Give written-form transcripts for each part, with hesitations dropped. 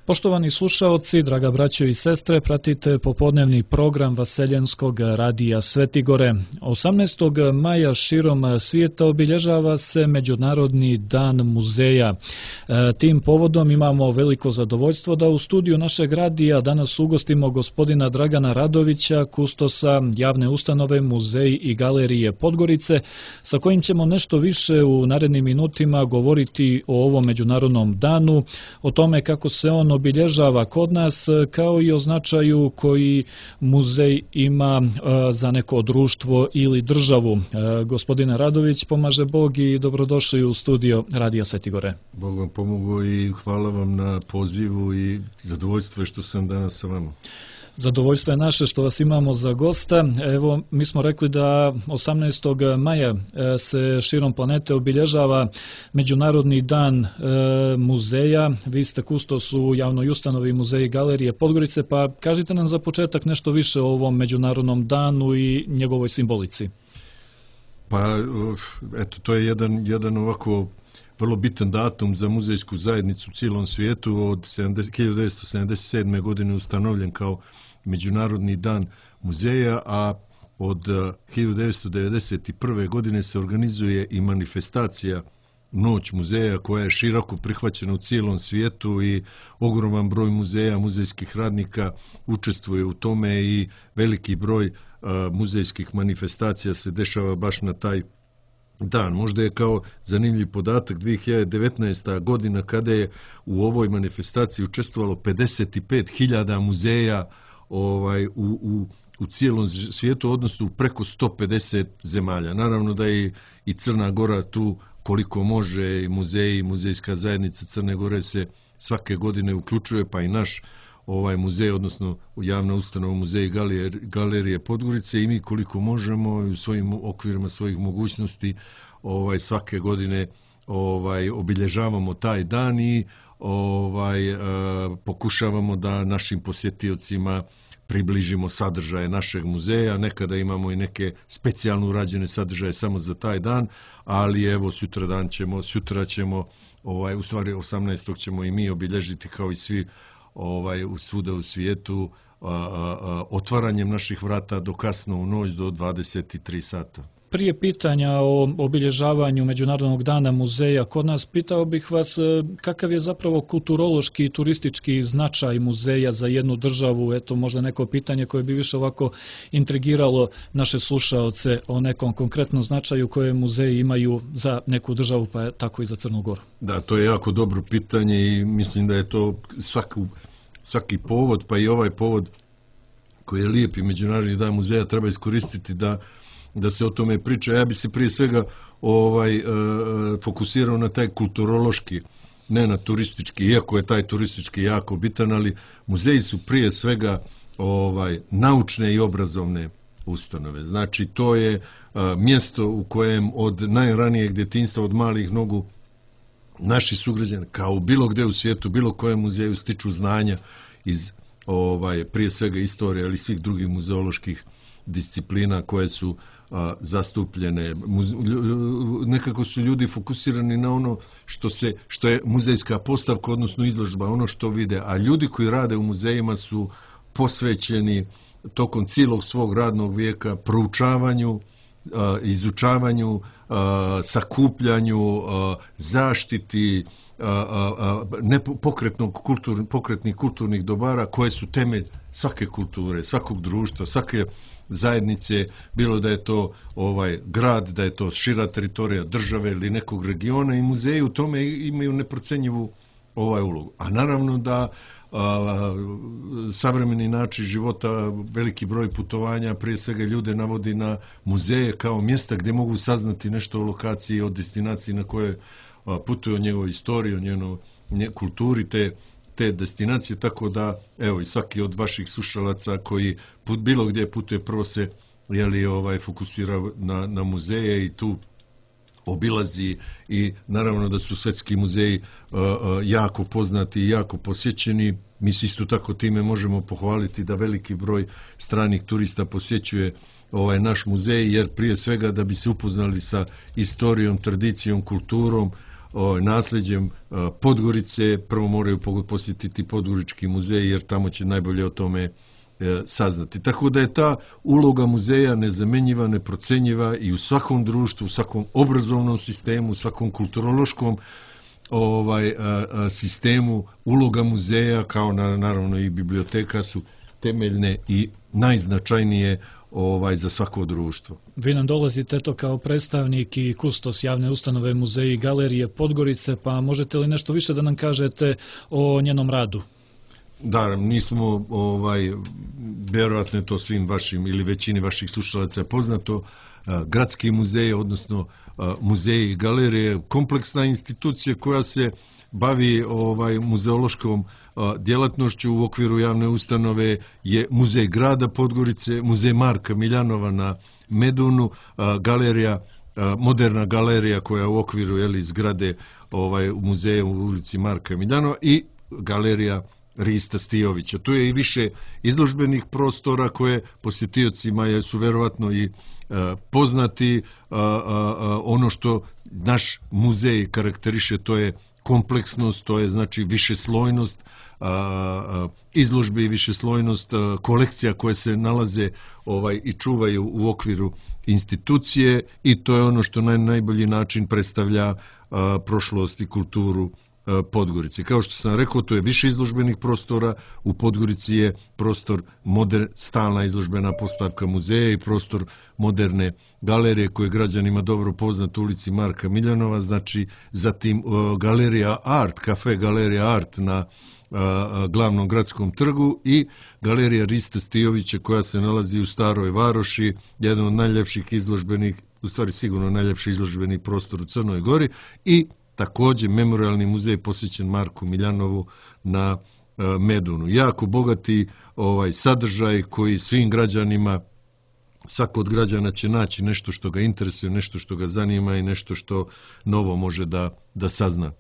Poštovani slušaoci, draga braćo i sestre, pratite popodnevni program Vaseljenskog radija Svetigore. 18. maja širom svijeta obilježava se Međunarodni dan muzeja. Tim povodom imamo veliko zadovoljstvo da u studiju našeg radija danas ugostimo gospodina Dragana Radovića, kustosa javne ustanove Muzeji i galerije Podgorice, sa kojim ćemo nešto više u narednim minutima govoriti o ovom Međunarodnom danu, o tome kako se on obilježava kod nas, kao i o značaju koji muzej ima za neko društvo ili državu. Gospodine Radović, pomaže Bog i dobrodošli u studio Radija Svetigore. Bog vam pomogao i hvala vam na pozivu i zadovoljstvo je što sam danas sa vama. Zadovoljstvo je naše što vas imamo za gosta. Evo, mi smo rekli da 18. maja se širom planete obilježava Međunarodni dan muzeja. Vi ste kustos u javnoj ustanovi Muzeji i galerije Podgorice, pa kažite nam za početak nešto više o ovom Međunarodnom danu i njegovoj simbolici. Pa, eto, to je jedan ovako vrlo bitan datum za muzejsku zajednicu u cijelom svijetu. Od 1977. godine ustanovljen kao Međunarodni dan muzeja, a od 1991. godine se organizuje i manifestacija Noć muzeja koja je široko prihvaćena u cijelom svijetu i ogroman broj muzeja, muzejskih radnika učestvuje u tome i veliki broj muzejskih manifestacija se dešava baš na taj dan. Možda je kao zanimljiv podatak 2019. godina kada je u ovoj manifestaciji učestvovalo 55.000 muzeja u cijelom svijetu, odnosno u preko 150 zemalja. Naravno da je i Crna Gora tu koliko može, i muzeji, muzejska zajednica Crne Gore se svake godine uključuje, pa i naš muzej, odnosno javna ustanova Muzeji i galerije Podgorice, i mi koliko možemo u svojim okvirima svojih mogućnosti svake godine obilježavamo taj dan i pokušavamo da našim posjetiocima približimo sadržaje našeg muzeja. Nekada imamo i neke specijalno urađene sadržaje samo za taj dan, ali evo sutra ćemo u stvari 18. ćemo i mi obilježiti kao i svi svuda u svijetu otvaranjem naših vrata do kasno u noć do 23 sata. Prije pitanja o obilježavanju Međunarodnog dana muzeja kod nas, pitao bih vas kakav je zapravo kulturološki i turistički značaj muzeja za jednu državu. Eto, možda neko pitanje koje bi više ovako intrigiralo naše slušaoce o nekom konkretnom značaju koje muzeji imaju za neku državu, pa tako i za Crnu Goru. Da, to je jako dobro pitanje i mislim da je to svaki povod, pa i ovaj povod koji je lijepi Međunarodni dan muzeja treba iskoristiti da se o tome priča. Ja bi se prije svega fokusirao na taj kulturološki, ne na turistički, iako je taj turistički jako bitan, ali muzeji su prije svega naučne i obrazovne ustanove. Znači, to je mjesto u kojem od najranijeg djetinjstva, od malih nogu, naši sugrađani, kao bilo gdje u svijetu, bilo kojem muzeju, stiču znanja iz prije svega istorije, ali i svih drugih muzeoloških disciplina koje su zastupljene. Nekako su ljudi fokusirani na ono što je muzejska postavka, odnosno izložba, ono što vide, a ljudi koji rade u muzejima su posvećeni tokom cijelog svog radnog vijeka proučavanju, izučavanju, sakupljanju, zaštiti pokretnih kulturnih dobara koje su temelj svake kulture, svakog društva, svake zajednice, bilo da je to grad, da je to šira teritorija države ili nekog regiona, i muzeji u tome imaju neprocenjivu ulogu. A naravno da savremeni način života, veliki broj putovanja, prije svega ljude navodi na muzeje kao mjesta gdje mogu saznati nešto o lokaciji, o destinaciji na koje putuju, o njegovoj istoriji, o njenoj kulturi te destinacije, tako da evo i svaki od vaših slušalaca koji bilo gdje putuje prvo se fokusira na muzeje i tu obilazi, i naravno da su svjetski muzeji jako poznati i jako posjećeni. Mi se isto tako time možemo pohvaliti da veliki broj stranih turista posjećuje naš muzej, jer prije svega da bi se upoznali sa istorijom, tradicijom, kulturom nasljeđem Podgorice. Prvo moraju posjetiti Podgorički muzej, jer tamo će najbolje o tome saznati. Tako da je ta uloga muzeja nezamenjiva, neprocenjiva i u svakom društvu, u svakom obrazovnom sistemu, u svakom kulturološkom sistemu. Uloga muzeja, kao naravno i biblioteka, su temeljne i najznačajnije za svako društvo. Vi nam dolazite to kao predstavnik i kustos javne ustanove Muzeji i galerije Podgorice, pa možete li nešto više da nam kažete o njenom radu? Da, nismo, vjerojatno je to svim vašim ili većini vaših slušalaca poznato, gradski muzej, odnosno muzeji i galerije, kompleksna institucija koja se bavi muzeološkom djelatnošću. U okviru javne ustanove je Muzej grada Podgorice, Muzej Marka Miljanova na Medunu, galerija, moderna galerija koja je u okviru zgrade muzeja u ulici Marka Miljanova i galerija Rista Stijovića. Tu je i više izložbenih prostora koje posjetiocima su verovatno i poznati. Ono što naš muzej karakteriše, to je kompleksnost, to je znači višeslojnost izložbe i višeslojnost kolekcija koje se nalaze i čuvaju u okviru institucije, i to je ono što na najbolji način predstavlja prošlost i kulturu Podgorice. Kao što sam rekao, to je više izložbenih prostora. U Podgorici je prostor stalna izložbena postavka muzeja i prostor moderne galerije koje građanima dobro poznat u ulici Marka Miljanova, znači zatim galerija Art, kafe galerija Art na glavnom gradskom trgu i galerija Rista Stijovića koja se nalazi u Staroj Varoši, jedan od najljepših izložbenih, u stvari sigurno najljepši izložbeni prostor u Crnoj Gori, i također memorialni muzej posvećen Marku Miljanovu na Medunu. Jako bogati sadržaj koji svim građanima, svako od građana će naći nešto što ga interesuje, nešto što ga zanima i nešto što novo može da sazna.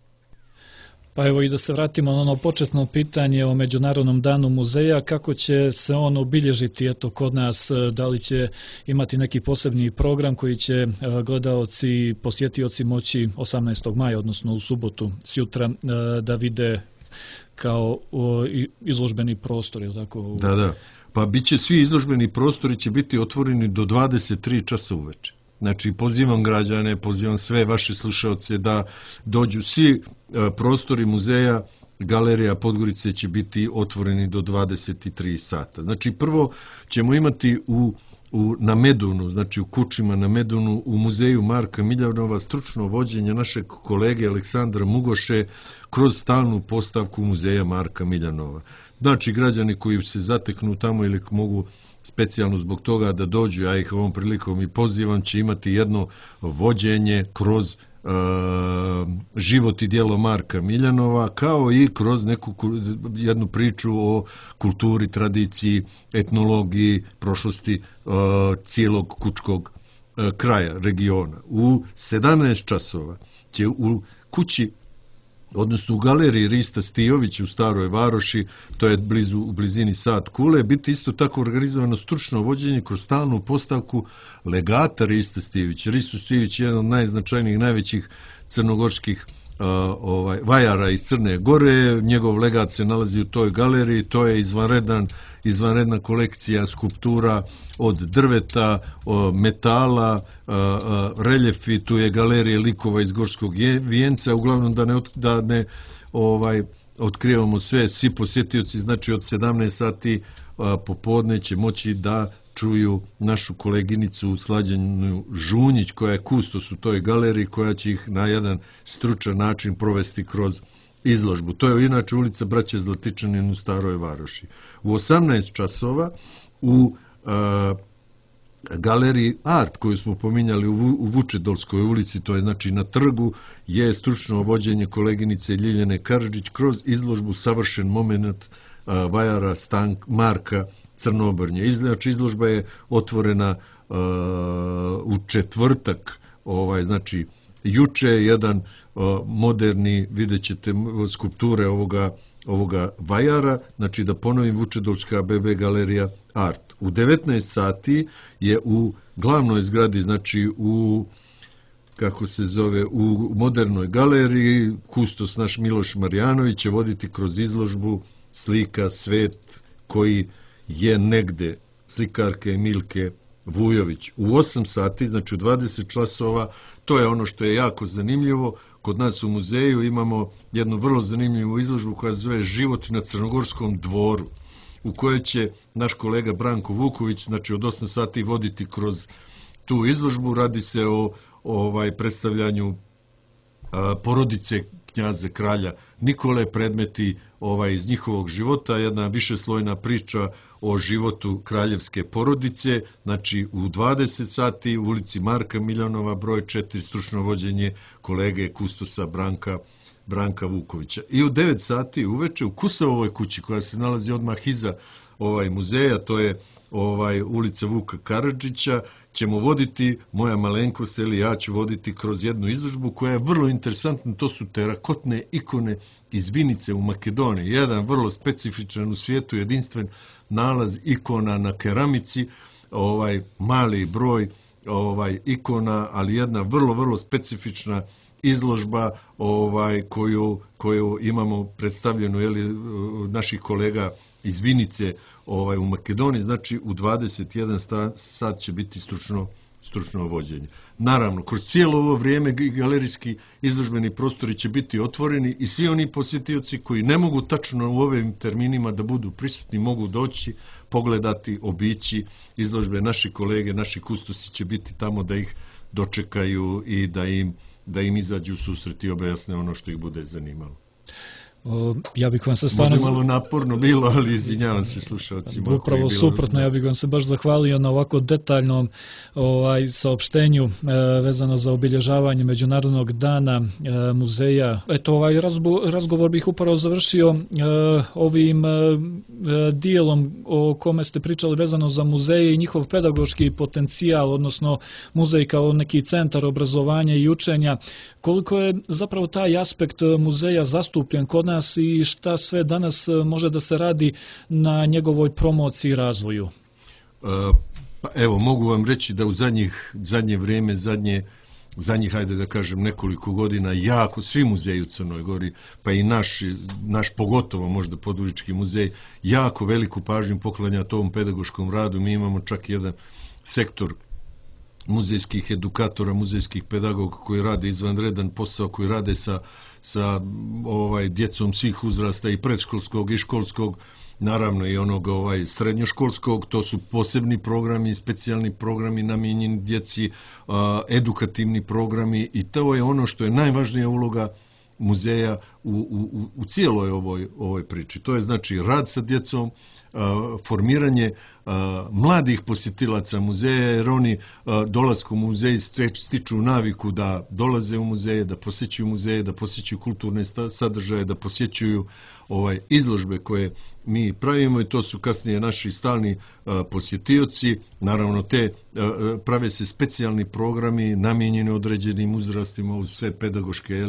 Pa evo i da se vratimo na ono početno pitanje o Međunarodnom danu muzeja, kako će se on obilježiti kod nas, da li će imati neki posebni program koji će gledaoci i posjetioci moći 18. maja, odnosno u subotu sjutra, da vide kao izložbeni prostor, je li tako? Da. Pa biće, svi izložbeni prostori će biti otvoreni do 23 časa uveče. Znači, pozivam građane, pozivam sve vaše slušaoce da dođu. Svi prostori muzeja, galerija Podgorice će biti otvoreni do 23 sata. Znači, prvo ćemo imati na Medunu, znači u kućima na Medunu, u muzeju Marka Miljanova stručno vođenje našeg kolege Aleksandra Mugoše kroz stalnu postavku muzeja Marka Miljanova. Znači, građani koji se zateknu tamo ili mogu specijalno zbog toga da dođu, ja ih ovom prilikom i pozivam, će imati jedno vođenje kroz život i djelo Marka Miljanova, kao i kroz jednu priču o kulturi, tradiciji, etnologiji, prošlosti cijelog kučkog kraja, regiona. U 17 časova će u kući, odnosno u galeriji Rista Stijovića u Staroj Varoši, to je u blizini Sad Kule, biti isto tako organizovano stručno vođenje kroz stalnu postavku legata Rista Stijovića. Risto Stijović je jedan od najznačajnijih, najvećih crnogorskih vajara iz Crne Gore. Njegov legat se nalazi u toj galeriji. To je izvanredna kolekcija skulptura od drveta, metala, reljefi. Tu je galerija likova iz Gorskog vijenca. Uglavnom da ne otkrivamo sve. Svi posjetioci, znači od 17 sati popodne će moći da čuju našu koleginicu Slađanu Žunjić, koja je kustos u toj galeriji, koja će ih na jedan stručan način provesti kroz izložbu. To je inače ulica Braće Zlatičanin u Staroj Varoši. U 18 časova u galeriji Art, koju smo pominjali u Vučedolskoj ulici, to je znači na trgu, je stručno vođenje koleginice Ljiljane Karadžić kroz izložbu Savršen moment vajara Marka Crnobrnje. Znači, izložba je otvorena u četvrtak, znači juče, jedan moderni, vidjet ćete skulpture ovoga vajara, znači da ponovim, Vučedolska BB galerija Art. U 19 sati je u glavnoj zgradi, znači u kako se zove, u modernoj galeriji, kustos naš Miloš Marjanović će voditi kroz izložbu slika Svet koji je negde, slikarke Emilke Vujović. U 8 sati, znači u 20 časova, to je ono što je jako zanimljivo. Kod nas u muzeju imamo jednu vrlo zanimljivu izložbu koja se zove Život na Crnogorskom dvoru, u kojoj će naš kolega Branko Vuković, znači od 8 sati voditi kroz tu izložbu. Radi se o predstavljanju porodice knjaze kralja Nikole, predmeti iz njihovog života, jedna višeslojna priča o životu kraljevske porodice, znači u 20 sati u ulici Marka Miljanova, broj 4, stručno vođenje kolege kustosa Branka Vukovića. I u 9 sati uveče u Kusavovoj kući, koja se nalazi odmah iza muzeja, to je ulica Vuka Karadžića, ćemo voditi, moja malenkost ili ja ću voditi kroz jednu izložbu koja je vrlo interesantna. To su terakotne ikone iz Vinice u Makedoniji. Jedan vrlo specifičan, u svijetu jedinstven nalaz ikona na keramici, mali broj ikona, ali jedna vrlo, vrlo specifična izložba koju imamo predstavljenu naših kolega iz Vinice u Makedoniji. Znači u 21 sat će biti stručno vođenje. Naravno, kroz cijelo ovo vrijeme galerijski izložbeni prostori će biti otvoreni i svi oni posjetioci koji ne mogu tačno u ovim terminima da budu prisutni mogu doći, pogledati, obići izložbe. Naši kolege, naši kustosi će biti tamo da ih dočekaju i da im izađu u susret i objasne ono što ih bude zanimalo. Ja bih vam se stvarno... Možda malo naporno bilo, ali izvinjavam se slušalcima. Upravo suprotno, ja bih vam se baš zahvalio na ovako detaljnom saopštenju vezano za obilježavanje Međunarodnog dana muzeja. Eto, razgovor bih upravo završio ovim dijelom o kome ste pričali vezano za muzeje i njihov pedagoški potencijal, odnosno muzej kao neki centar obrazovanja i učenja. Koliko je zapravo taj aspekt muzeja zastupljen kod nas i šta sve danas može da se radi na njegovoj promociji i razvoju? Evo, mogu vam reći da u zadnje vrijeme, zadnjih, hajde da kažem, nekoliko godina, jako svi muzeji u Crnoj Gori, pa i naš pogotovo možda Podgorički muzej, jako veliku pažnju poklanja tom pedagoškom radu. Mi imamo čak jedan sektor muzejskih edukatora, muzejskih pedagoga koji rade izvanredan posao, koji rade sa djecom svih uzrasta, i predškolskog i školskog, naravno i onog srednjoškolskog. To su posebni programi, specijalni programi namijenjeni djeci, edukativni programi, i to je ono što je najvažnija uloga muzeja u cijeloj ovoj priči. To je znači rad sa djecom, formiranje mladih posjetilaca muzeja, jer oni dolaskom u muzej stiču naviku da dolaze u muzeje, da posjećuju muzeje, da posjećuju kulturne sadržaje, da posjećuju izložbe koje mi pravimo, i to su kasnije naši stalni posjetioci. Naravno, prave se specijalni programi namijenjeni određenim uzrastima uz sve pedagoške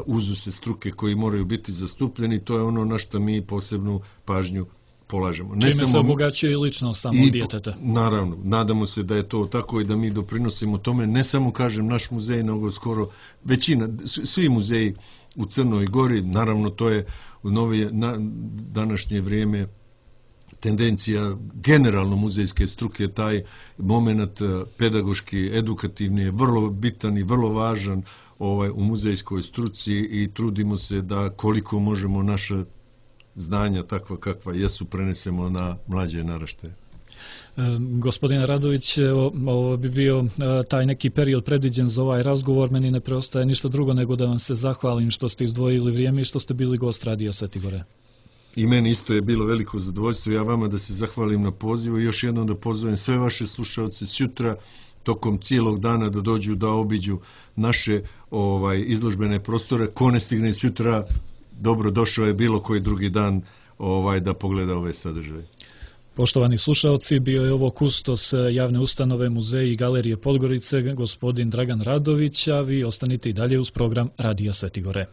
uzuse struke koji moraju biti zastupljeni. To je ono na što mi posebnu pažnju polažemo. Čime se obogaćuje i ličnost samog djeteta. Naravno, nadamo se da je to tako i da mi doprinosimo tome, ne samo, kažem, naš muzej, nego skoro većina, svi muzeji u Crnoj Gori. Naravno, to je u današnje vrijeme tendencija generalno muzejske struke. Taj moment pedagoški, edukativni je vrlo bitan i vrlo važan u muzejskoj struci, i trudimo se da koliko možemo naša znanja, takva kakva jesu, prenesemo na mlađe naraštaje. Gospodine Radović, ovo bi bio taj neki period predviđen za ovaj razgovor. Meni ne preostaje ništa drugo nego da vam se zahvalim što ste izdvojili vrijeme i što ste bili gost Radija Svetigore. I meni isto je bilo veliko zadovoljstvo. Ja vama da se zahvalim na pozivu i još jednom da pozovem sve vaše slušaoce sutra tokom cijelog dana da dođu da obiđu naše izložbene prostore. Ko ne stigne sutra, dobro došao je bilo koji drugi dan da pogleda ove sadržaje. Poštovani slušaoci, bio je ovo kustos javne ustanove Muzeji i galerije Podgorice, gospodin Dragan Radović, a vi ostanite i dalje uz program Radija Svetigore.